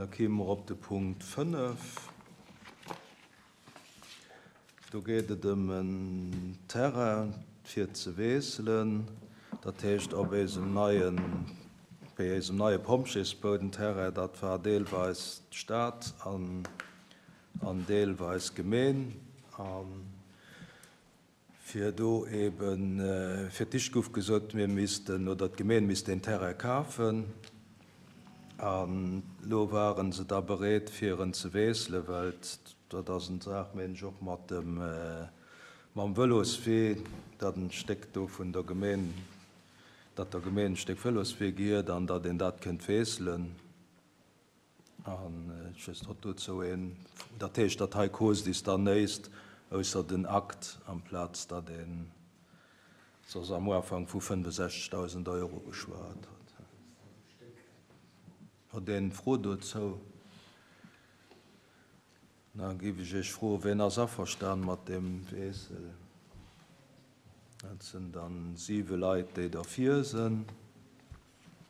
Da kéime mer op de Punkt 5. Do geet et ëm en Terrain fir ze wiesselen, dat heescht op eisem neien, bei eisem neie Pompjeesbou, den Terrain, dat war deelweis d'Stad an an deelweis d'Gemeen. A fir do eben, fir d'éischt gouf gesot, mir missten, oder d'Gemeen misst deen Terrain kafen. An elo ware se da bereet, fir en ze wiesselen, well dat ass en Saach, meen ech, och mat dem, mam Vëloswee, datt en Stéck do vun der Gemeen, datt der Gemeen e Stéck Vëloswee gehiert an datt een dat kënnt wiesselen. An ech weess net, ob dozou een, dat heescht, datt hei koost is dann néist ausser den Akt, amplaz datt een soss am Ufank vu 65.000 Euro geschwat huet. Huet een Fro dozou? Da géif ech Iech froen, ween ass averstan mat deem Wiessel? Dat sinn dann siwe Leit, déi derfir sinn.